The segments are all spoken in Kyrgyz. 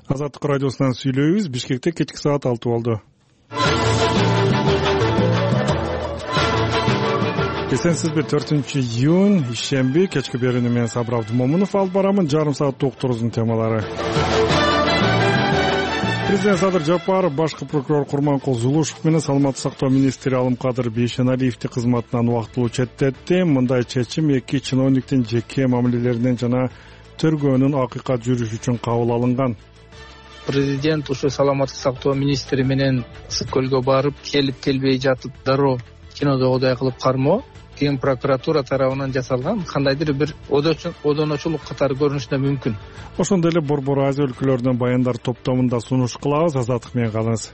Азаттык радиосунан сүйлөйбүз. Бишкекте кечки саат 6 болду. Эсенсизби, 4-июнь ишемби кечки берүүнү мен Сабыр Абдымомунов алып барамын. Жарым сааттык уктуруубуздун темалары. Президент Садыр Жапаров башкы прокурор Курманкул Зулушев менен саламаттык сактоо министри Алымкадыр Бейшеналиевди кызматынан убактылуу четтетти. Мындай чечим эки чиновниктин жеке мамилелеринен жана тергөөнүн акыйкат жүрүшү үчүн кабыл алынган. Президент ушу саламаттык сактоо министри менен ысык көлгө барып, келбей жатып дароо кинодогудай кылып кармоо Ген прокуратура тарабынан жасалган кандайдыр бир одоночулук катары көрүнүшү мүмкүн. Ошондой эле Борбор Азия өлкөлөрүнөн баяндар топтомунда сунуш кылабыз. Азаттык менен калыңыз.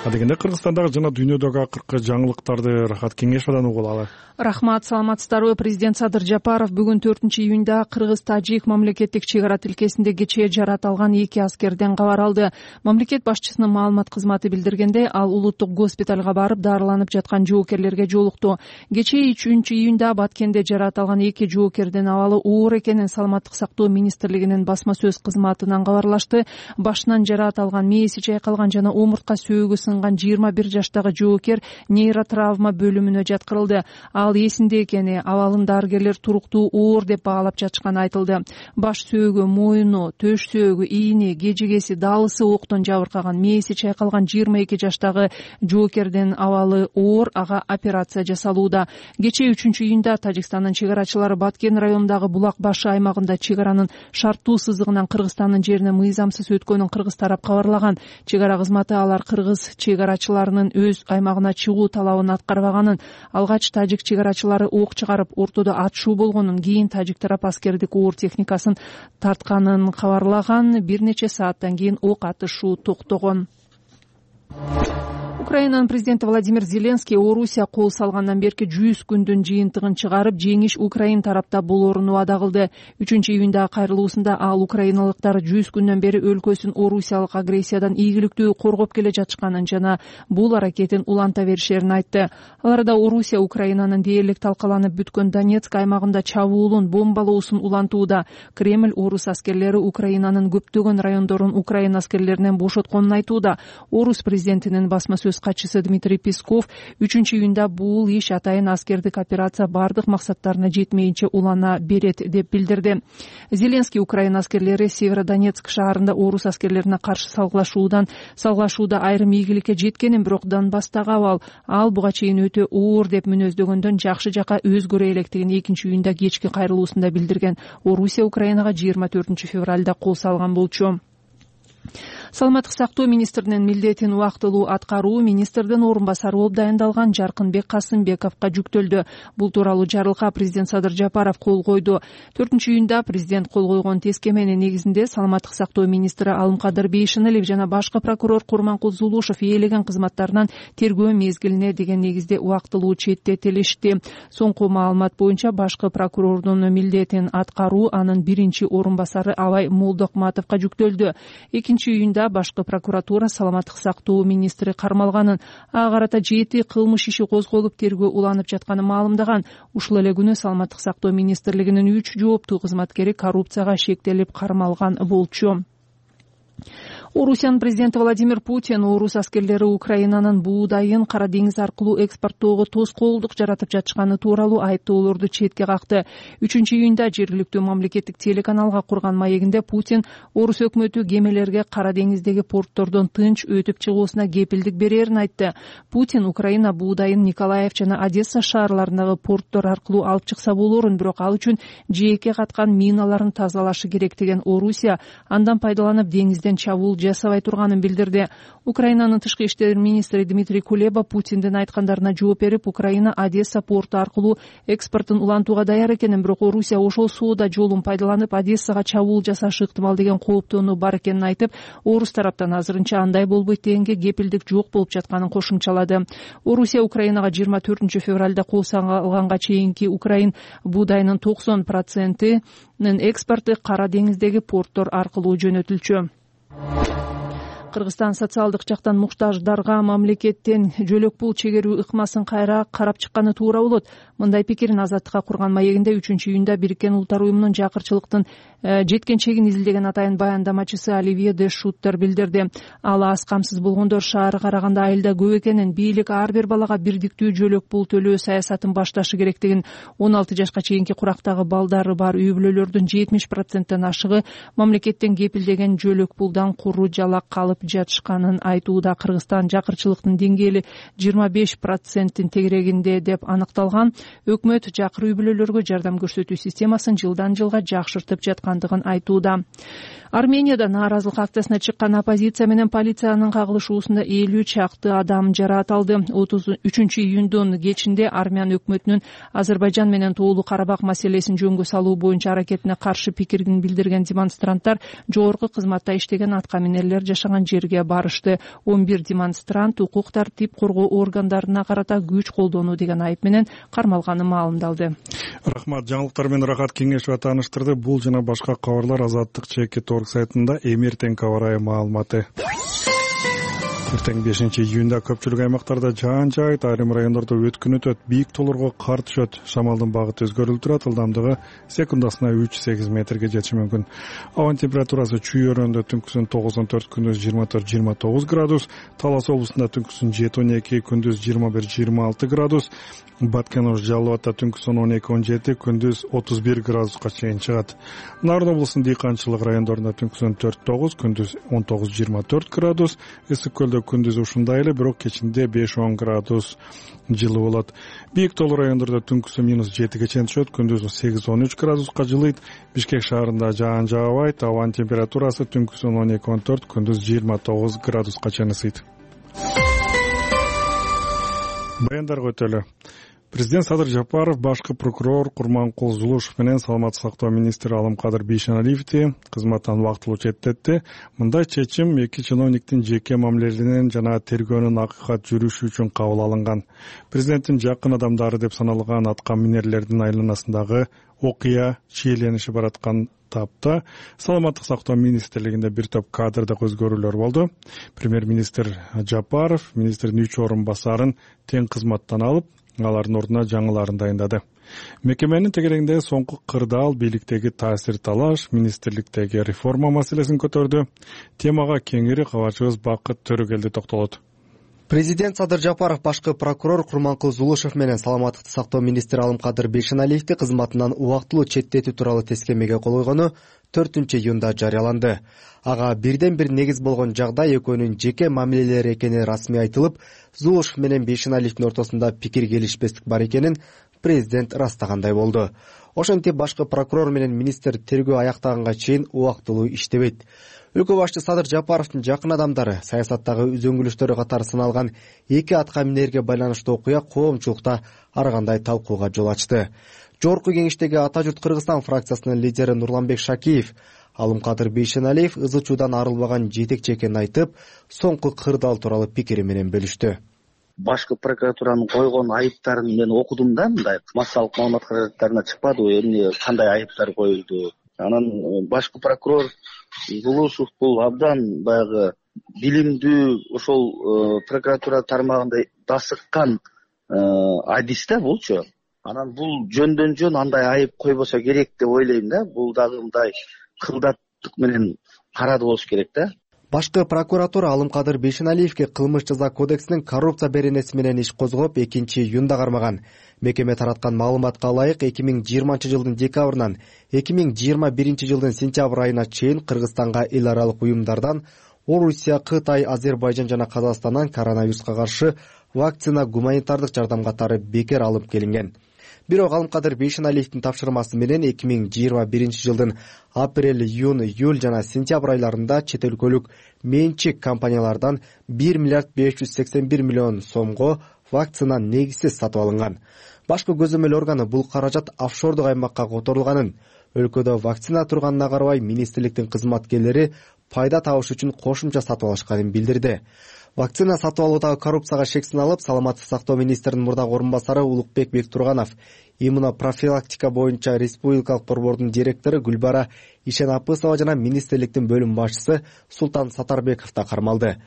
Адегенде Кыргызстандагы жана дүйнөдөгү акыркы жаңылыктарды Рахат Кеңешовдон угуп алалы. Рахмат, саламатсыздарбы. Президент Садыр Жапаров бүгүн 4-июнда Кыргыз-Тажик мамлекеттик чек ара тилкесинде кечээ жаратылган эки аскерден кабар алды. Мамлекет башчысынын маалымат кызматы билдиргенде, ал улуттук госпиталга барып дарыланып жаткан жоокерлерге жолукту. Кечээ 3-июнда Баткенде жаратылган эки жоокердин абалы оор экенин Саламаттык сактоо министрлигинин басма сөз кызматынан кабарлашты. Башынан жараат алган, мээси чайкалган жана омуртка сөөгү сынган 21 жаштагы жоокер нейротравма бөлүмүнө жаткырылды. Ал эсинде экени, абалын дарыгерлер туруктуу оор деп баалап жатышканы айтылды. Баш сөөгү, мойну, төш сөөгү, ийни, кежегеси, далысы октон жабыркаган, мээси чайкалган 22 жаштагы жоокердин абалы оор, ага операция жасалууда. Кечээ 3-июнда Тажикстандын чек арачылары Баткен районундагы Булак башы аймагында чек аранын шарттуу сызыгынан Кыргызстандын жерине мыйзамсыз өткөнүн кыргыз тарап кабарлаган. Чек ара кызматы алар кыргыз чек арачыларынын өз аймагына чыгуу талабын аткарбаганын, алгач тажик чек арачылары ок чыгарып, ортодо атышуу болгонун, кийин тажик тарап аскердик оор техникасын тартканын кабарлаган. Бир нече сааттан кийин ок атышуу токтогон. Украинанын президенти Владимир Зеленский Орусия кол салгандан берки 100 күндүн жыйынтыгын чыгарып, жеңиш Украин тарапта болоорун убада кылды. 3-июндагы кайрылуусунда ал украиналыктар 100 күндөн бери өлкөсүн орусиялык агрессиядан ийгиликтүү коргоп келе жатышканын жана бул аракетин уланта беришерин айтты. Аларда Орусия Украинанын дээрлик талкаланып бүткөн Донецк аймагында чабуулун, бомбалоосун улантууда. Кремль орус аскерлери Украинанын көптөгөн райондорун Украина аскерлеринен бошотконун айтууда. Орус президентинин басма сөз катчысы Дмитрий Песков 3-июнда бул иш атайын аскердик операция бардык максаттарына жетмейинче улана берет деп билдирди. Зеленский Украина аскерлери Северодонецк шаарында орус аскерлерине каршы салгылашууда айрым ийгиликке жеткенин, бирок Донбасстагы абал ал буга чейин өтө оор деп мүнөздөгөндөн жакшы жака өзгөрө электигин 2-июнда кечки кайрылуусунда билдирген. Орусия Украинага 24 февралда кол салган болчу. Саламаттык сактоо министринин милдетин убактылуу аткаруу министрдин орун басары болуп дайындалган Жаркынбек Касымбековго жүктөлдү. Бул тууралуу жарлыкка президент Садыр Жапаров кол койду. 4-июнда президент кол койгон тескеменин негизинде саламаттык сактоо министри Алымкадыр Бейшеналиев жана башкы прокурор Курманкул Зулушев ээлеген кызматтарынан тергөө мезгилине деген негизде убактылуу четтетилишти. Соңку маалымат боюнча башкы прокурордун милдетин аткаруу анын биринчи орун басары Абай Молдокматовго жүктөлдү. 2-июнда башкы прокуратура саламаттык сактоо министри кармалганын, ага карата 7 кылмыш иши козголуп тергөө уланып жатканын маалымдаган. Ушул эле күнү саламаттык сактоо министрлигинин 3 жооптуу кызматкери коррупцияга шектелип кармалган болчу. Орусиянын президенти Владимир Путин орус аскерлери Украинанын буудайын Кара деңиз аркылуу экспорттоого тоскоолдук жаратып жатышканы тууралуу айыптоолорду четке какты. 3-июнда жергиликтүү мамлекеттик телеканалга курган маегинде Путин орус өкмөтү кемелерге Кара деңиздеги порттордон тынч өтүп чыгуусуна кепилдик берерин айтты. Путин Украина буудайын Николаев жана Одесса шаарларындагы порттор аркылуу алып чыкса болоорун, бирок ал үчүн жээкке каткан миналарын тазалашы керек деген Орусия андан пайдаланып деңизден чабуул жасабай турганын билдирди. Украинанын тышкы иштер министри Дмитрий Кулеба Путиндин айткандарына жооп берип, Украина Одесса порту аркылуу экспортун улантууга даяр экенин, бирок Орусия ошол соода жолун пайдаланып Одессага чабуул жасашы ыктымал деген кооптонуу бар экенин айтып, орус тараптан азырынча андай болбойт дегенге кепилдик жок болуп жатканын кошумчалады. Орусия Украинага 24 февралда кол салганга чейинки Украин буудайынын 90%-нын экспорту Кара деңиздеги порттор аркылуу жөнөтүлчү. Кыргызстан социалдык жактан муктаждарга мамлекеттен жөлөк пул чегерүү ыкмасын кайра карап чыкканы туура болот. Мындай пикирин Азаттыкка курган маегинде 3-июнда Бириккен Улуттар уюмунун жакырчылыктын жеткенчегин изилдеген атайын баяндамачысы Оливье де Шуттер билдирди. Ал аз камсыз болгондор шаары караганда айылда көп экенин, бийлик ар бир балага бирдиктүү жөлөк пул төлөө саясатын башташы керектигин, 16 жашка чейинки курактагы балдары бар үй бүлөлөрдүн 70%-тен ашыгы мамлекеттен кепилдеген жөлөк пулдан куру жалак калып жатышканын айтууда. Кыргызстан жакырчылыктын деңгээли 25%-тин тегерегинде деп аныкталган. Өкмөт жакыр үй бүлөлөргө жардам көрсөтүү системасын жылдан жылга жакшыртып жаткандыгын айтууда. Арменияда нааразылык акциясына чыккан оппозиция менен полициянын кагылышуусунда 50 чакты адам жараат алды. 33-июндун кечинде армян өкмөтүнүн Азербайжан менен Тоолуу Карабак маселесин жөнгө салуу боюнча аракетине каршы пикирин билдирген демонстранттар жогорку кызматта иштеген аткаминерлер жашаган жерге барышты. 11 демонстрант укук тартип коргоо органдарына карата күч колдонуу деген айып менен кармалганы маалымдалды. Рахмат. Жаңылыктар менен Рахат Кеңешова тааныштырды. Бул жана башка кабарлар Азаттык ЧК сайтында эмертең кабар маалыматы. Эртең 5-июнда көпчүлүк аймактарда жаан жаайт, айрым райондордо өткүн өтөт, бийик тоолорго кар түшөт. Шамалдын багыты өзгөрүлүп турат, ылдамдыгы секундасына 3-8 метрге жетиши мүмкүн. Абанын температурасы Чүй өрөөнүндө түнкүсүн 9-14, күндүз 24-29 градус, Талас облусунда түнкүсүн 7-12, күндүз 21-26 градус, Баткен-Ош Жалал Абадта түнкүсүн 12-17, күндүз 31 градуска чейин чыгат. Нарын облусунун дыйканчылык райондорунда түнкүсүн 4-9, күндүз 19-24 градус, Ысык көлдө күндүз ушундай эле, бирок кечинде 5-10 градус жылуу болот. Бийик тоолуу райондордо түнкүсү -7 чейин түшөт, күндүз 8-13 градуска жылыйт. Бишкек шаарында жаан жаабайт, абанын температурасы түнкүсүн 12-14, күндүз 29 градуска чейин ысыйт. Баяндарга өтөлү. Президент Садыр Жапаров, башкы прокурор Курманкул Зулушев менен саламаттык сактоо министри Алымкадыр Бейшеналиевди кызматтан убактылуу четтетти. Мындай чечим эки чиновниктин жеке мамилелеринен жана тергөөнүн акыйкат жүрүшү үчүн кабыл алынган. Президенттин жакын адамдары деп саналган аткаминерлердин айланасындагы окуя чийлениши бараткан тапта саламаттык сактоо министрлигинде бир топ кадрдык өзгөрүүлөр болду. Премьер-министр Жапаров министрдин 3 орун басарын тең кызматтан алып, алардын ордуна жаңыларын дайындады. Мекеменин тегерегинде соңку кырдаал бийликтеги таасир талаш, министрликтеги реформа маселесин көтөрдү. Темага кеңири кабарчыбыз Бакыт Төрөгелди токтолот. Президент Садыр Жапаров башкы прокурор Курманкул Зулушев менен саламаттыкты сактоо министри Алымкадыр Бейшеналиевди кызматынан убактылуу четтетүү тууралуу тескемеге кол койгону 4-июнда жарыяланды. Ага бирден бир негиз болгон жагдай экөөнүн жеке мамилелери экени расмий айтылып, Зулушев менен Бейшеналиевдин ортосунда пикир келишпестик бар экенин президент ырастагандай болду. Ошентип башкы прокурор менен министр тергөө аяктаганга чейин убактылуу иштебейт. Өлкө башчы Садыр Жапаровдун жакын адамдары саясаттагы үзөңгүлүштөрү катары саналган эки аткаминерге байланыштуу окуя коомчулукта ар кандай талкууга жол ачты. Жогорку кеңештеги Ата журт Кыргызстан фракциясынын лидери Нурланбек Шакиев Алымкадыр Бейшеналиев ызы чуудан арылбаган жетекчи экенин айтып, соңку кырдаал тууралуу пикири менен бөлүштү. Башкы прокуратуранын койгон айыптарын мен окудум да, мындай массалык маалымат каражаттарына чыкпады, эмне кандай айыптар коюлду. Анан башкы прокурор Зулушев бул абдан баягы билимдүү, ошол прокуратура тармагында дасыккан адис да булчу. Анан бул жөндөн жөн андай айып койбосо керек деп ойлойм да. Бул дагы мындай кылдаттык менен карады болуш керек да. Башкы прокуратура Алымкадыр Бейшеналиевге кылмыш жаза кодексинин коррупция беренеси менен иш козгоп 2-июнда кармаган. Мекеме тараткан маалыматка ылайык 2020-жылдын декабрынан 2021-жылдын сентябрь айына чейин Кыргызстанга эл аралык уюмдардан Орусия, Кытай, Азербайжан жана Казакстандан коронавируска каршы вакцина, гуманитардык жардам катары бекер алып келинген. Бирок Алымкадыр Бейшеналиевдин тапшырмасы менен 2021-жылдын апрель, июнь, июль жана сентябрь айларында чет өлкөлүк менчик компаниялардан 1 миллиард 581 миллион сомго вакцина негизсиз сатып алынган. Башкы көзөмөл органы бул каражат офшордук аймакка которулганын, өлкөдө вакцина турганына карабай министрликтин кызматкерлери пайда табыш үчүн кошумча сатып алышканын билдирди. Вакцина сатып алуудагы коррупцияга шек салып, саламаттык сактоо министринин мурдагы орун басары Улукбек Бектурганов, иммунопрофилактика боюнча республикалык борбордун директору Гүлбара Ишенапысова жана министрликтин бөлүм башчысы Султан Сатарбеков да кармалды.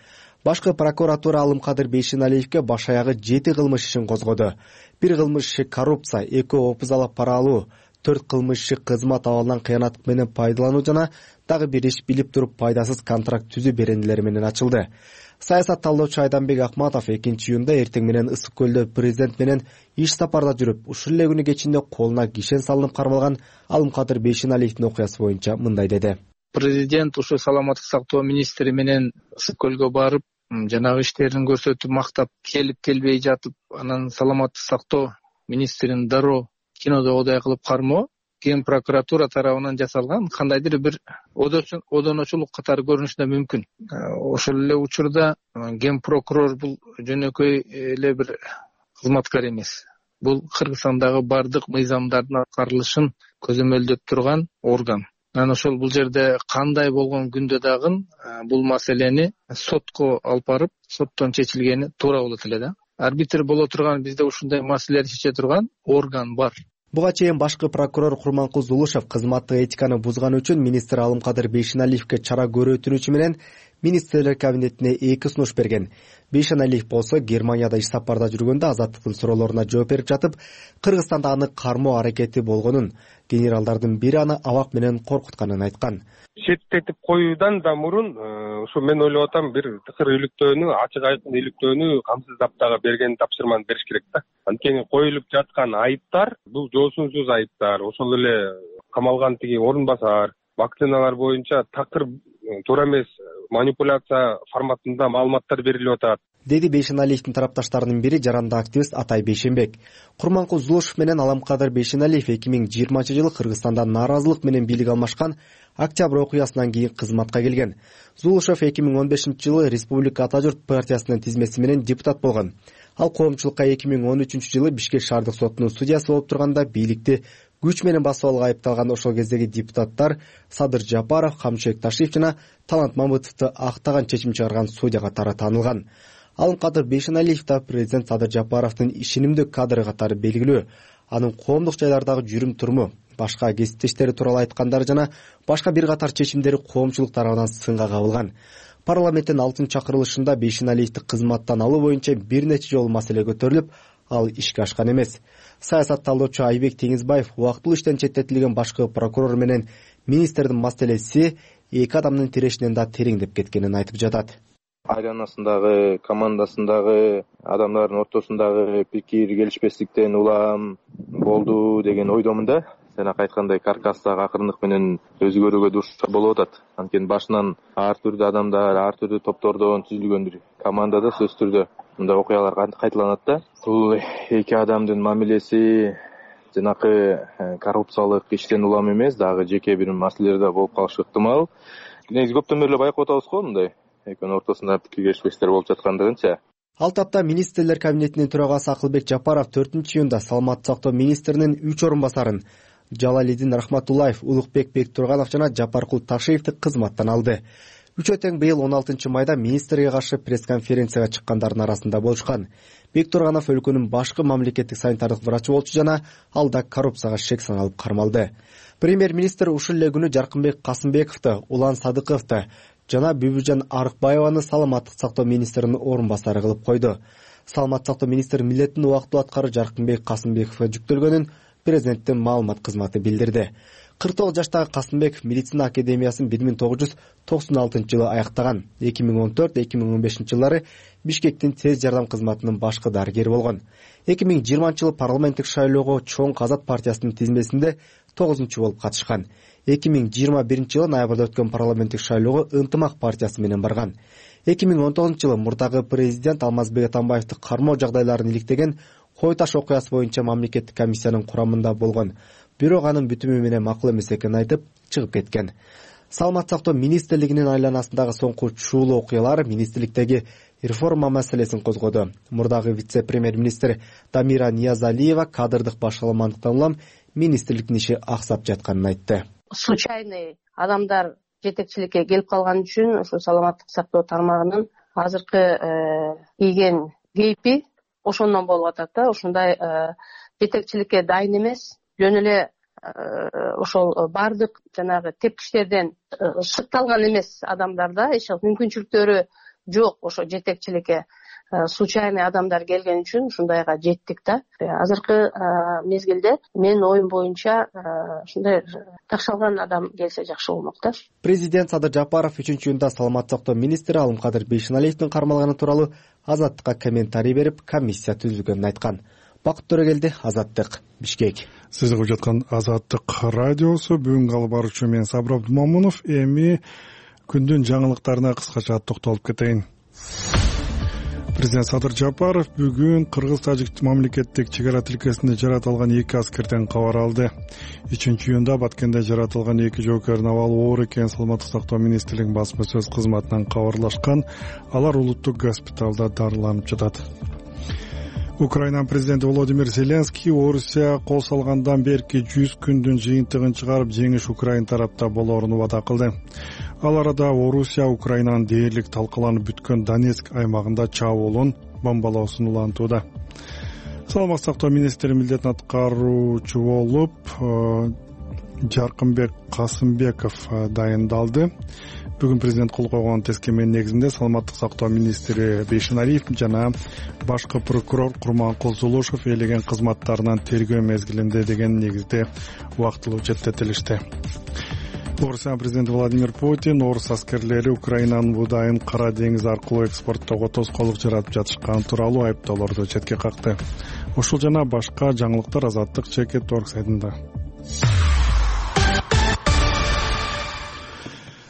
Башкы прокуратура Алымкадыр Бейшеналиевке баш аягы 7 кылмыш ишин козгоду. 1 кылмыш иши коррупция, 2 опузала пара алуу, 4 кылмыш иши кызмат абалынан кыянаттык менен пайдалануу жана дагы бир иш билип туруп пайдасыз контракт түзүү беренелери менен ачылды. Саясат талдоочу Айданбек Акматов 2-июнда эртең менен Ысык көлдө президент менен иш сапарда жүрүп, ушул эле күнү кечинде колуна кишен салынып кармалган Алымкадыр Бейшеналиевдин окуясы боюнча мындай деди. Президент ушу саламаттык сактоо министри менен Ысык көлгө барып, жанагы иштерин көрсөтүп мактап келбей жатып, анан саламаттык сактоо министрин дароо кинодогудай кылып кармоо Ген прокуратура тарабынан жасалган кандайдыр бир одоночулук катары көрүнүшү мүмкүн. Ошол эле учурда ген прокурор бул жөнөкөй эле бир кызматкер эмес. Бул Кыргызстандагы бардык мыйзамдардын аткарылышын көзөмөлдөп турган орган. Анан ошол бул жерде кандай болгон күндө дагы бул маселени сотко алып барып, соттон чечилгени туура болот эле да. Арбитр боло турган, бизде ушундай маселелерди чече турган орган бар. Буга чейин башкы прокурор Курманкул Зулушев кызматтык этиканы бузганы үчүн министр Алымкадыр Бейшеналиевке чара көрөтүнүүчү менен министрлер кабинетине 2 сунуш берген. Бейшеналиев болсо Германияда иш сапарда жүргөндө азаттыктын суроолоруна жооп берип жатып, Кыргызстанда аны кармоо аракети болгонун, генералдардын бири аны абак менен коркутканын айткан. Четтетип коюудан да мурун ушу мен ойлоп атам, бир тыкыр иликтөөнү, ачык айкын иликтөөнү камсыздап дагы берген тапшырманы бериш керек да. Анткени коюлуп жаткан айыптар бул жоосунсуз айыптар. Ошол эле камалган тиги орун басар, вакциналар боюнча такыр туура эмес манипуляция форматында маалыматтар берилип атат, деди Бейшеналиевдин тарапташтарынын бири жарандык активист Атай Бейшенбек. Курманкул Зулушев менен Алымкадыр Бейшеналиев 2020-жылы Кыргызстанда нааразылык менен бийлик алмашкан октябрь окуясынан кийин кызматка келген. Зулушев 2015-жылы Республика Ата журт партиясынын тизмеси менен депутат болгон. Ал коомчулукка 2013-жылы Бишкек шаардык сотунун судьясы болуп турганда бийликти күч менен басып алууга айыпталган ошол кездеги депутаттар Садыр Жапаров, Камчыбек Ташиев жана Талант Мамытовду актаган чечим чыгарган судья катары таанылган. Алымкадыр Бейшеналиев да президент Садыр Жапаровдун ишенимдүү кадры катары белгилүү. Анын коомдук жайлардагы жүрүм туруму, башка кесиптештери тууралуу айткандары жана башка бир катар чечимдери коомчулук тарабынан сынга кабылган. Парламенттин 6-чакырылышында Бейшеналиевди кызматтан алуу боюнча бир нече жолу маселе көтөрүлүп, ал ишке ашкан эмес. Саясат талдоочу Айбек Теңизбаев убактылуу иштен четтетилген башкы прокурор менен министрдин маселеси эки адамдын тирешинен да тереңдеп кеткенин айтып жатат. Айланасындагы, командасындагы адамдардын ортосундагы пикир келишпестиктен улам болду деген ойдомун да. Сен айткандай каркастагы акырындык менен өзгөрүүгө дуушар болуп атат. Анткени башынан ар түрдүү адамдар, ар түрдүү топтордон түзүлгөн бир командада сөзсүз түрдө мындай окуялар кайталанат да. Бул эки адамдын мамилеси жанакы коррупциялык иштен улам эмес, дагы жеке бир маселелерде болуп калышы ыктымал. Негизи көптөн бери байкап атабыз го мындай экөөнүн ортосунда пикир келишпестиктер болуп жаткандыгынча. Ал тапта министрлер кабинетинин төрагасы Акылбек Жапаров 4-июнда саламаттык сактоо министринин 3 орун басарын Жалалидин Рахматуллаев, Улукбек Бектурганов жана Жапаркул Ташиевди кызматтан алды. Үчөө тең быйыл 16-майда министрге каршы пресс-конференцияга чыккандардын арасында болушкан. Бектурганов өлкөнүн башкы мамлекеттик санитардык врачы болчу жана ал да коррупцияга шек салып кармалды. Премьер-министр ушул эле күнү Жаркынбек Касымбековду, Улан Садыковду жана Бүбүжан Арыкбаеваны саламаттык сактоо министринин орун басары кылып койду. Саламаттык сактоо министри милдетин убактылуу аткаруу Жаркынбек Касымбековго жүктөлгөнүн президенттин маалымат кызматы билдирди. 49 жаштагы Касымбеков медицина академиясын 1996-жылы аяктаган. 2014-2015-жылдары Бишкектин тез жардам кызматынын башкы дарыгери болгон. 2020-жылы парламенттик шайлоого Чоң Казат партиясынын тизмесинде 9-чу болуп катышкан. 2021-жылы ноябрда өткөн парламенттик шайлоого Ынтымак партиясы менен барган. 2019-жылы мурдагы президент Алмазбек Атамбаевди кармоо жагдайларын иликтеген Кой Таш окуясы боюнча мамлекеттик комиссиянын курамында болгон. Бирок анын бүтүмү менен макул эмес экенин айтып чыгып кеткен. Саламаттык сактоо министрлигинин айланасындагы соңку чуулуу окуялар министрликтеги реформа маселесин козгоду. Мурдагы вице-премьер-министр Дамира Ниязалиева кадрдык башаламандыктан улам министрликтин иши аксап жатканын айтты. Случайный адамдар жетекчиликке келип калган үчүн ушу саламаттык сактоо тармагынын азыркы кийген кейпи ошондон болуп атат да. Ушундай жетекчиликке дайын эмес, жөн эле ошол баардык жанагы тепкичтерден шыкталган эмес адамдарда эч мүмкүнчүлүктөрү жок ошо жетекчиликке. Случайный адамдар келген үчүн ушундайга жеттик да. Азыркы мезгилде менин оюм боюнча ушундай такшалган адам келсе жакшы болмок да. Президент Садыр Жапаров 3-июнда саламаттык сактоо министри Алымкадыр Бейшеналиевдин кармалганы тууралуу Азаттыкка комментарий берип, комиссия түзүлгөнүн айткан. Бакыт Төрөгелди, Азаттык, Бишкек. Сиз угуп жаткан Азаттык радиосу. Бүгүнкү алып баруучу мен Сабыр Абдумамунов. Эми күндүн жаңылыктарына кыскача токтолуп кетейин. Президент Садыр Жапаров бүгүн Кыргыз-Тажик мамлекеттик чек ара тилкесинде жаратылган 2 аскерден кабар алды. 3-июнда Баткенде жаратылган 2 жоокердин абалы оор экенин Саламаттык сактоо министрлигинин басма сөз кызматынан кабарлашкан. Алар улуттук госпиталда дарыланып жатат. Украина президенти Володимир Зеленский Орусия кол салгандан берки 100 күндүн жыйынтыгын чыгарып, жеңиш Украина тарапта болоорун убада кылды. Ал арада Орусия Украинанын дээрлик талкаланып бүткөн Донецк аймагында чабуулун бомбалоосун улантууда. Саламаттык сактоо министри милдетин аткаруучу болуп Жаркынбек Касымбеков дайындалды. Бүгүн президент кол койгон тескеменин негизинде Саламаттык сактоо министри Бейшеналиев жана башкы прокурор Курманкул Зулушев ээлеген кызматтарынан тергөө мезгилинде деген негизде убактылуу четтетилишти. Орусия президенти Владимир Путин орус аскерлери Украинанын буудайын Кара деңиз аркылуу экспорттоого тоскоолдук жаратып жатышканы тууралуу айыптоолорду четке какты. Ушул жана башка жаңылыктар Азаттык Чекет.org сайтында.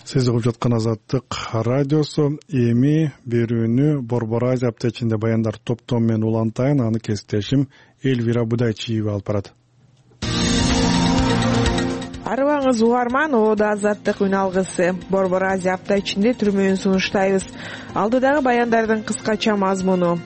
Сиз угуп жаткан Азаттык радиосу. Эми берүүнү Борбор Азия аптечинде баяндар топтом менен улантайын. Аны кесиптешим Эльвира Будайчиева алып барат. Арыбаңыз угарман, оодо Азаттык үн алгысы. Борбор Азия апта ичинде түрмөөнү сунуштайбыз. Алдыдагы баяндардын кыскача мазмуну.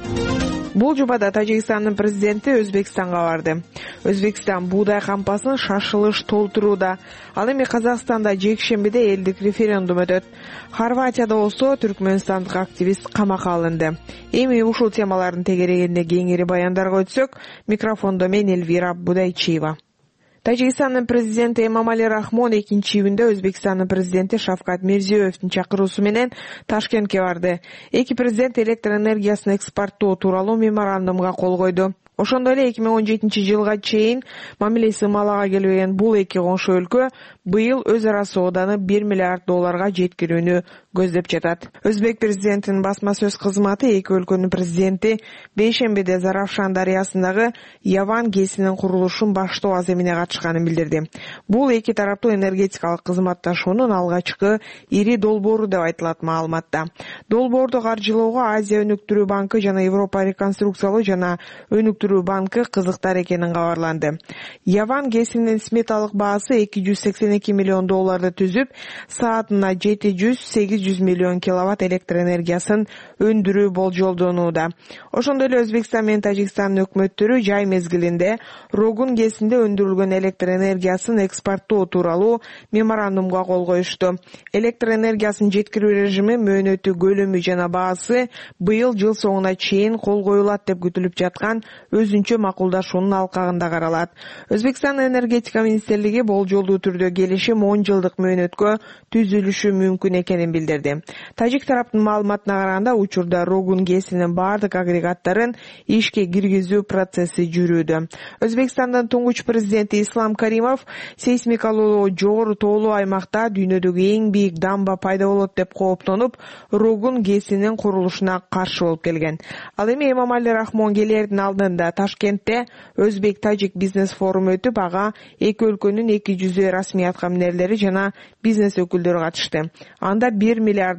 Бул жубада Тажикстандын президенти Өзбекстанга барды. Өзбекстан буудай кампасын шашылыш толтурууда. Ал эми Казакстанда жекшембиде элдик референдум өтөт. Хорватияда болсо түркмөнстандык активист камакка алынды. Эми ушул темалардын тегерегинде кеңири баяндарга өтсөк, микрофондо мен Эльвира Будайчиева. Тажикстандын президенти Эмомали Рахмон 2-июнда Өзбекстандын президенти Шавкат Мирзиёевдин чакыруусу менен Ташкентке барды. Эки президент электр энергиясын экспорттоо тууралуу меморандумга кол койду. Ошондой эле 2017-жылга чейин мамилеси ымалага келбеген бул эки коңшу өлкө быйыл өз ара сооданы $1 миллиард жеткирүүнү көздөп жатат. Өзбек президентинин басма сөз кызматы эки өлкөнүн президенти бейшембиде Заравшан дарыясындагы Яван ГЭСинин курулушун баштоо аземине катышканын билдирди. Бул эки тараптуу энергетикалык кызматташуунун алгачкы ири долбоору деп айтылат маалыматта. Долбоорду каржылоого Азия өнүктүрүү банкы жана Европа реконструкциялоо жана өнүктүрүү банкы кызыктар экенин кабарланды. Яван ГЭСинин сметалык баасы $282 миллион түзүп, саатына 700-800 миллион киловатт электр энергиясын өндүрүү болжолдонууда. Ошондой эле Өзбекстан менен Тажикстандын өкмөттөрү жай мезгилинде Рогун ГЭСинде өндүрүлгөн электр энергиясын экспорттоо тууралуу меморандумга кол коюшту. Электр энергиясын жеткирүү режими, мөөнөтү, көлөмү жана баасы быйыл жыл соңуна чейин кол коюлат деп күтүлүп жаткан өзүнчө макулдашуунун алкагында каралат. Өзбекстан энергетика министрлиги болжолдуу түрдө келишим 10 жылдык мөөнөткө түзүлүшү мүмкүн экенин билдирди. Тажик тараптын маалыматына караганда, учурда Рогун ГЭСинин бардык агрегаттарын ишке киргизүү процесси жүрүүдө. Өзбекстандын туңгуч президенти Ислам Каримов сейсмикалуу жогору тоолуу аймакта дүйнөдөгү эң бийик дамба пайда болот деп кооптонуп, Рогун ГЭСинин курулушуна каршы болуп келген. Ал эми Эмомали Рахмон келердин алдында Ташкентте Өзбек-Тажик бизнес форуму өтүп, ага эки өлкөнүн 200 расмий аткаминерлери жана бизнес өкүлдөрү катышты. Анда $1 миллиард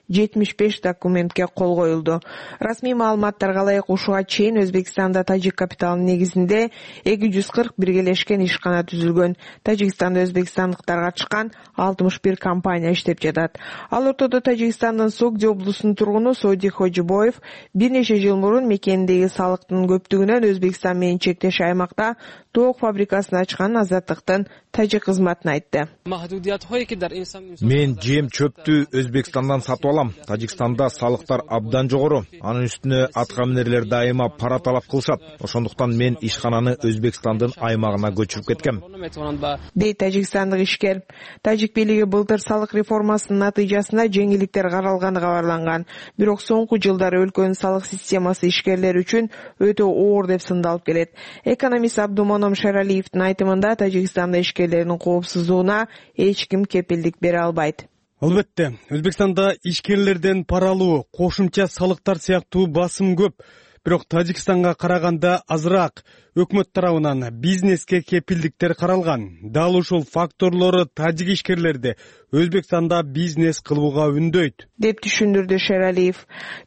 75 документке кол коюлду. Расмий маалыматтарга ылайык, ушуга чейин Өзбекстанда тажик капиталынын негизинде 240 биргелешкен ишкана түзүлгөн. Тажикстанда өзбекстандыктар катышкан 61 компания иштеп жатат. Ал ортодо Тажикстандын Согди облусунун тургуну Соди Хожибоев бир нече жыл мурун мекенindеги салыктын көптүгүнөн Өзбекстан менен чектеш аймакта тоок фабрикасын ачканын Азаттыктын тажик кызматына айтты. Мен жем чөптү Өзбекстандан сатып алам. Тажикстанда салыктар абдан жогору. Анын үстүнө аткаминерлер дайыма пара талап кылышат. Ошондуктан мен ишкананы Өзбекстандын аймагына көчүрүп кеткем, дейт тажикстандык ишкер. Тажик бийлиги былтыр салык реформасынын натыйжасында жеңилдиктер каралганы кабарланган. Бирок соңку жылдары өлкөнүн салык системасы ишкерлер үчүн өтө оор деп сындалып келет. Экономист Абдумоном Шералиевдин айтымында Тажикстанда ишкерлердин коопсуздугуна эч ким кепилдик бере албайт. Албетте, Өзбекстанда ишкерлерден пара алуу, кошумча салыктар сыяктуу басым көп. Бирок Тажикстанга караганда азыраак. Өкмөт тарабынан бизнеске кепилдиктер каралган. Дал ушул факторлору тажик ишкерлерди Өзбекстанда бизнес кылууга үндөйт, деп түшүндүрдү Шералиев.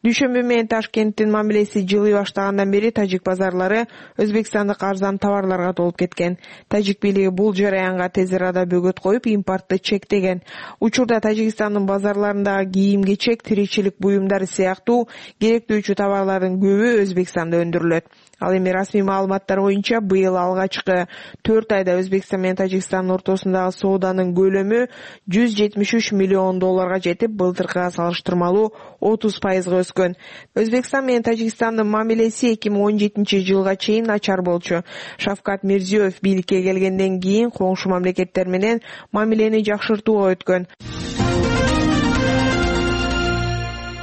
Дүйшөмбү менен Ташкенттин мамилеси жылый баштагандан бери тажик базарлары өзбекстандык арзан товарларга толуп кеткен. Тажик бийлиги бул жараянга тез арада бөгөт коюп, импортты чектеген. Учурда Тажикстандын базарларындагы кийим-кечек, тиричилик буюмдары сыяктуу керектүүчү товарлардын көбү Өзбекстанда өндүрүлөт. Ал эми расмий маалыматтар боюнча быйыл алгачкы 4 айда Өзбекстан менен Тажикстандын ортосундагы сооданын көлөмү $173 миллион жетип, былтыркыга салыштырмалуу 30% өскөн. Өзбекстан менен Тажикстандын мамилеси 2017 жылга чейин начар болчу. Шавкат Мирзиёев бийликке келгенден кийин коңшу мамлекеттер менен мамилени жакшыртууга өткөн.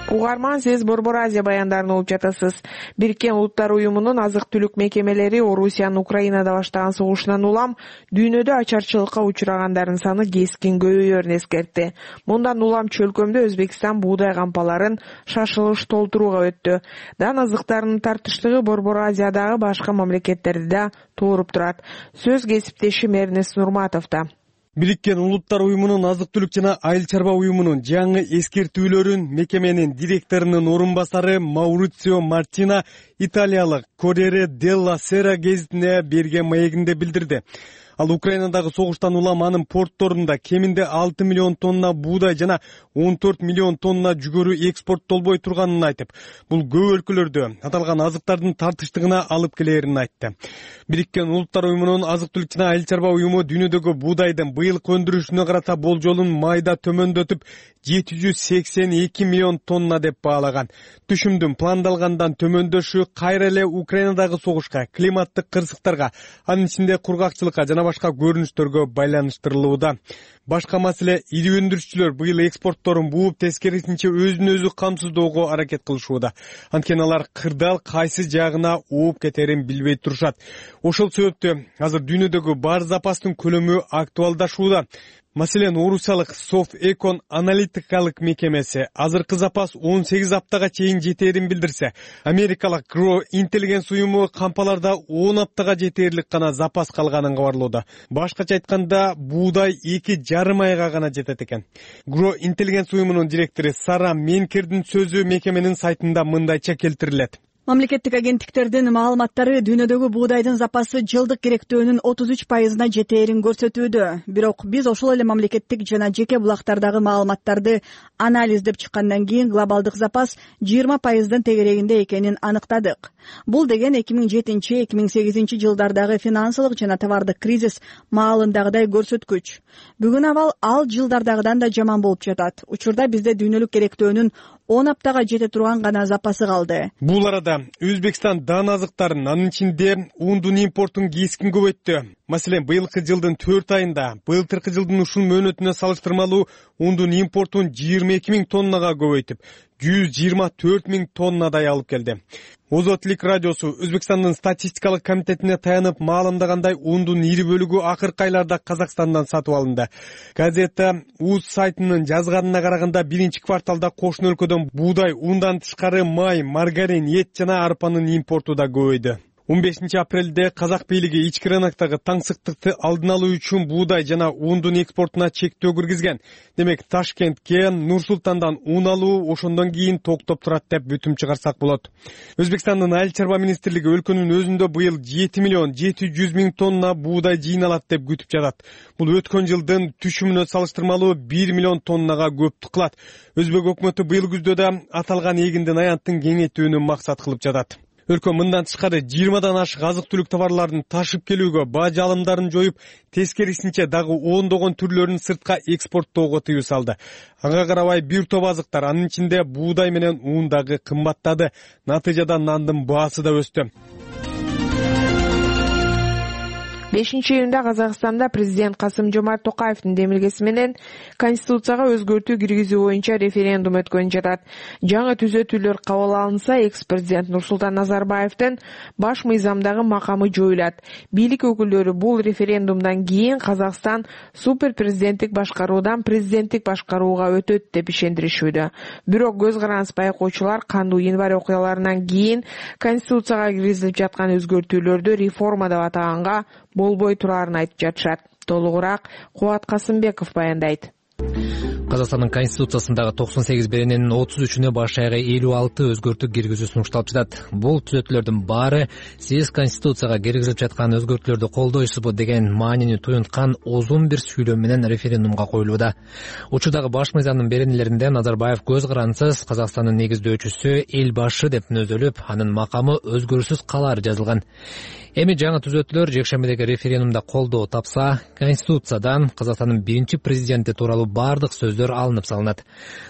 Угарман, сиз Борбор Азия баяндарын угуп жатасыз. Бириккен Улуттар уюмунун азык-түлүк мекемелери Орусиянын Украинада баштаган согушунан улам дүйнөдө ачарчылыкка учурагандардын саны кескин көбөйөрүн эскертти. Мындан улам чөлкөмдө Өзбекстан буудай кампаларын шашылыш толтурууга өттү. Дан азыктарынын тартыштыгы Борбор Азиядагы башка мамлекеттерди да тууруп турат. Сөз кесиптешим Эрнест Нурматовдо. Бириккен Улуттар уюмунун азык-түлүк жана айыл чарба уюмунун жаңы эскертүүлөрүн мекеменин директорунун орун басары Маурицио Мартина италиялык Corriere della Sera гезитине берген маегинде билдирди. Ал Украинадагы согуштан улам анын портторунда кеминде 6 миллион тонна буудай жана 14 миллион тонна жүгөрү экспорттолбой турганын айтып, бул көп өлкөлөрдө аталган азыктардын тартыштыгына алып келерин айтты. Бириккен Улуттар уюмунун азык-түлүк жана айыл чарба уюму дүйнөдөгү буудайдын быйылкы өндүрүшүнө карата болжолун майда төмөндөтүп 782 миллион тонна деп баалаган. Түшүмдүн пландалгандан төмөндөшү кайра эле Украинадагы согушка, климаттык кырсыктарга, анын ичинде кургакчылыкка жана башка көрүнүштөргө байланыштырылууда. Башка маселе, ири өндүрүшчүлөр быйыл экспортторун бууп, тескерисинче өзүн өзү камсыздоого аракет кылышууда. Анткени алар кырдаал кайсы жагына ооп кетерин билбей турушат. Ошол себептен азыр дүйнөдөгү бар запастын көлөмү актуалдашууда. Маселен, орусиялык Софэкон аналитикалык мекемеси азыркы запас 18 аптага чейин жетерин билдирсе, америкалык Grow Intelligence уюму кампаларда 10 аптага жетерлик гана запас калганын кабарлоодо. Башкача айтканда, буудай 2,5 айга гана жетет экен. Grow Intelligence уюмунун директору Сара Менкердин сөзү мекеменин сайтында мындайча келтирилет. Мамлекеттик агенттиктердин маалыматтары дүйнөдөгү буудайдын запасы жылдык керектөөнүн 33%-на жетээрин көрсөтүүдө. Бирок биз ошол эле мамлекеттик жана жеке булактардагы маалыматтарды анализдеп чыккандан кийин глобалдык запас 20%дын тегерегинде экенин аныктадык. Бул деген 2007-2008 жылдардагы финансылык жана товардык кризис маалындагыдай көрсөткүч. Бүгүн ал жылдардагыдан да жаман болуп жатат. Учурда бизде дүйнөлүк керектөөнүн 10 аптага жете турган гана запасы калды. Бул арада Өзбекстан дан азыктарын, анын ичинде ундун импортун кескин көбөйттү. Маселен, быйылкы жылдын 4 айында былтыркы жылдын ушул мөөнөтүнө салыштырмалуу ундун импортун 22 000 тоннага көбөйтүп, 124 000 тоннадай алып келди. Озотлик радиосу Өзбекстандын статистикалык комитетине таянып маалымдагандай, ундун ири бөлүгү акыркы айларда Казакстандан сатып алынды. Газета УЗ сайтынын жазганына караганда, биринчи кварталда кошуна өлкөдөн буудай, ундан тышкары май, маргарин, эт жана арпанын импорту да көбөйдү. 15 апрелде казак бийлиги ички рыноктогу таңсыктыкты алдын алуу үчүн буудай жана ундун экспортуна чектөө киргизген. Демек, Ташкентке Нур-Султандан ун алуу ошондон кийин токтоп турат деп бүтүм чыгарсак болот. Өзбекстандын айыл чарба министрлиги өлкөнүн өзүндө быйыл 7 миллион 700 000 тонна буудай жыйналат деп күтүп жатат. Бул өткөн жылдын түшүмүнө салыштырмалуу 1 миллион тоннага көптүк кылат. Өзбек өкмөтү быйыл күздө да аталган эгиндин аянтын кеңейтүүнү максат кылып жатат. өлкө мындан тышкары 20дан ашык азык-түлүк товарларын ташып келүүгө баа жалымдарын жоюп, тескерисинче дагы ондогон түрлөрүн сыртка экспорттоого тыюу салды. Ага карабай бир топ азыктар, анын ичинде буудай менен ун дагы кымбаттады. Натыйжада нандын баасы да өстү. 5-июнда Казакстанда президент Касым-Жомарт Токаевдин демилгеси менен Конституцияга өзгөртүү киргизүү боюнча референдум өткөнүп жатат. Жаңы түзөтүүлөр кабыл алынса, экс-президент Нурсултан Назарбаевдин баш мыйзамдагы макамы жоюлат. Бийлик өкүлдөрү бул референдумдан кийин Казакстан супер президенттик башкаруудан президенттик башкарууга өтөт деп ишендиришүүдө. Бирок көз караныс байкоочулар кандуу январь окуяларынан кийин Конституцияга киргизилип жаткан өзгөртүүлөрдү реформа деп атаганга болбой турарын айтып жатышат. Толугураак Кубат Касымбеков баяндайт. Казакстандын Конституциясындагы 98 берененин 33-үнө баш аягы 56 өзгөртүү киргизүү сунушталып жатат. Бул түзөтүүлөрдүн баары сиз Конституцияга киргизилип жаткан өзгөртүүлөрдү колдойсузбу деген маанини туюнткан узун бир сүйлөм менен референдумга коюлууда. Учурдагы баш мыйзамдын беренелеринде Назарбаев көз карансыз Казакстандын негиздөөчүсү эл башы деп мүнөздөлүп, анын макамы өзгөрүүсүз калары жазылган. Эми жаңы түзөтүүлөр жекшембидеги референдумда колдоо тапса, Конституциядан Казакстандын биринчи президенти тууралуу бардык сөздөр алынып салынат.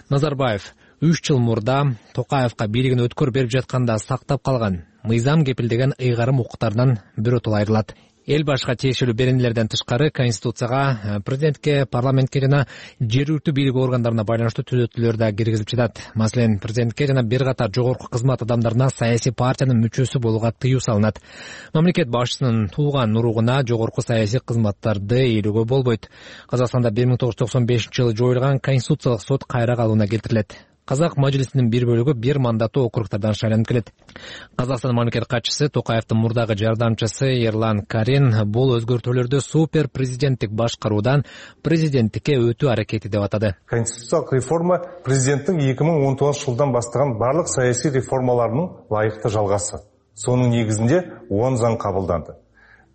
Назарбаев 3 жыл мурда Токаевка бийлигин өткөр берип жатканда сактап калган мыйзам кепилдеген ыйгарым укуктардан биротоло айрылат. Эл башка тиешелүү беренелерден тышкары Конституцияга президентке, парламентке жана жергиликтүү бийлик органдарына байланыштуу түзөтүүлөр да киргизилип жатат. Маселен, президентке жана бир катар жогорку кызмат адамдарына саясий партиянын мүчөсү болууга тыюу салынат. Мамлекет башчысынын тууган уругуна жогорку саясий кызматтарды ээлөөгө болбойт. Казакстанда 1995-жылы жоюлган Конституциялык сот кайра калууна келтирилет. Казак мажлисинин бир бөлүгү бир мандаттуу округтардан шайланып келет. Казакстан мамлекет катчысы Токаевдин мурдагы жардамчысы Ерлан Карин бул өзгөртүүлөрдү супер президенттик башкаруудан президенттикке өтүү аракети деп атады. Конституциялык реформа президенттин 2019-жылдан баштаган барлык саясий реформаларынын лайыктуу жалгасы. Сонун негизинде 10 заң кабылданды.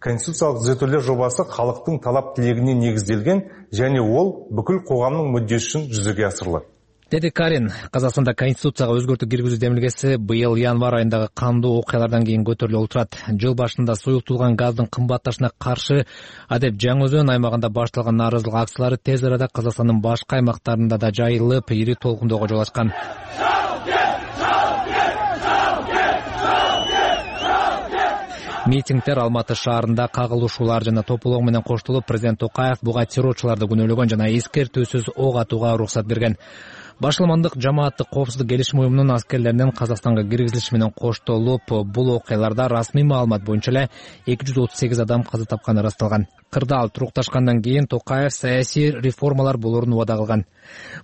Конституциялык түзөтүүлөр жобасы калктын талап тилегине негизделген және ол бүкүл коомдун мүддеси үчүн жүзөгө асырылат. Деди Карин, Казакстанда Конституцияга өзгөртүү киргизүү демилгеси быйыл январь айындагы кандуу окуялардан кийин көтөрүлүп отурат. Жыл башында суюктулган газдын кымбатташына каршы адеп Жаңы Өзөн аймагында башталган нааразылык акциялары тез арада Казакстандын башка аймактарында да жайылып, ири толкундоого жол ачкан. Митингдер Алматы шаарында кагылышуулар жана тополоо менен коштолуп, президент Токаев буга террорчуларды күнөөлөгөн жана эскертүүсүз ок атууга уруксат берген. Башламандык жамааттык коопсуздук келишим уюмунун аскерлеринин Казакстанга киргизилиши менен коштолуп, бул окуяларда расмий маалымат боюнча эле 238 адам каза тапканы ырасталган. Кырдаал турукташкандан кийин Токаев саясий реформалар болоорун убада кылган.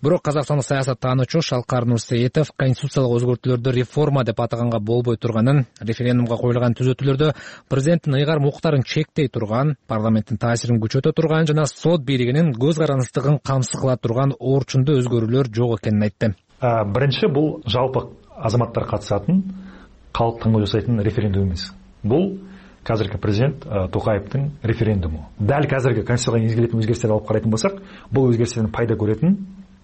Бирок Казакстандык саясаттануучу Шалкар Нурсеитов конституциялык өзгөртүүлөрдү реформа деп атаганга болбой турганын, референдумга коюлган түзөтүүлөрдө президенттин ыйгарым укуктарын чектей турган, парламенттин таасирин күчөтө турган жана сот бийлигинин көз караныстыгын камсыз кыла турган орчундуу өзгөрүүлөр жок экенин айтты. Биринчи, бул жалпы азаматтар катышатын, калк таңдоо жасайтын референдум эмес. Бул қазіргі президент Токаевтың референдуму. Дәл қазіргі конституцияға енгізілетін өзгерістерді алып қарайтын болсақ, бұл өзгерістерден пайда көретін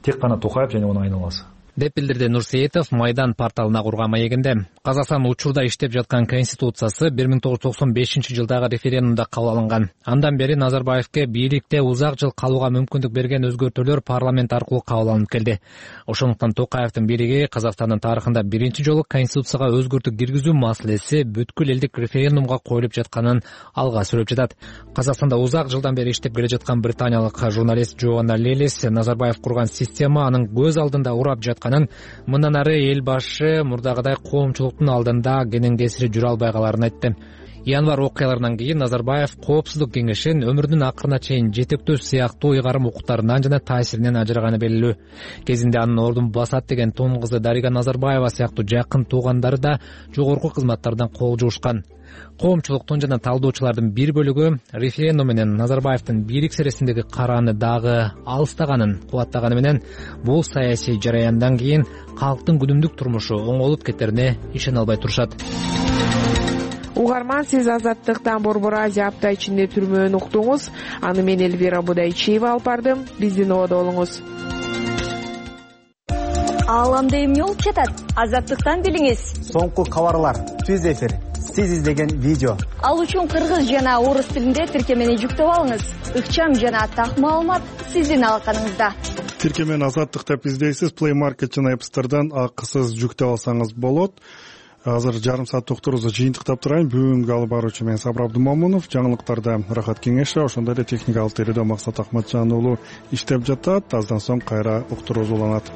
тек қана Токаев және оның айналасы. деп билдирди Нурсеитов Майдан порталына курган маегинде. Казакстан учурда иштеп жаткан конституциясы 1995-жылдагы референдумда кабыл алынган. Андан бери Назарбаевке бийликте узак жыл калууга мүмкүндүк берген өзгөртүүлөр парламент аркылуу кабыл алынып келди. Ошондуктан Токаевдин бийлиги Казакстандын тарыхында биринчи жолу конституцияга өзгөртүү киргизүү маселеси бүткүл элдик референдумга коюлуп жатканын алга сүрөп жатат. Казакстанда узак жылдан бери иштеп келе жаткан британиялык журналист Джоанна Лелис Назарбаев курган система анын көз алдында урап жатканын, мындан ары эл башы мурдагыдай коомчулуктун алдында кенен кесири жүрө албай каларын айтты. Январь окуяларынан кийин Назарбаев Коопсуздук кеңешин өмүрүнүн акырына чейин жетектөө сыяктуу ыйгарым укуктарынан жана таасиринен ажыраганы белгилүү. Кезинде анын ордун басат деген тон кызы Дарига Назарбаева сыяктуу жакын туугандары да жогорку кызматтардан кол жуушкан. Коомчулуктун жана талдоочулардын бир бөлүгү референдум менен Назарбаевдин бийлик сересиндеги карааны дагы алыстаганын кубаттаганы менен бул саясий жараяндан кийин калктын күнүмдүк турмушу оңолуп кетерине ишене албай турушат. Угарман, сиз Азаттыктан Борбор Азия апта ичинде түрмөөнү уктуңуз. Аны мен Элвира Будайчиева алып бардым. Биздин ободо болуңуз. ааламда эмне болуп жатат? Азаттыктан билиңиз. Соңку кабарлар, түз эфир, сиз издеген видео. Ал үчүн кыргыз жана орус тилинде тиркемени жүктөп алыңыз. Ыкчам жана так маалымат сиздин алаканыңызда. Тиркемени Азаттык деп издейсиз. Play Market жана App Store'дан акысыз жүктөп алсаңыз болот. Азыр жарым саат токтурубузду жыйынтыктап турайын. Бүгүнкү алып баруучу мен Сабыр Абдымамунов. Жаңылыктарда Рахат Кеңешов, ошондой эле техникалык тередө Максат Акматжан уулу иштеп жатат. Аздан соң кайра уктуруубуз уланат.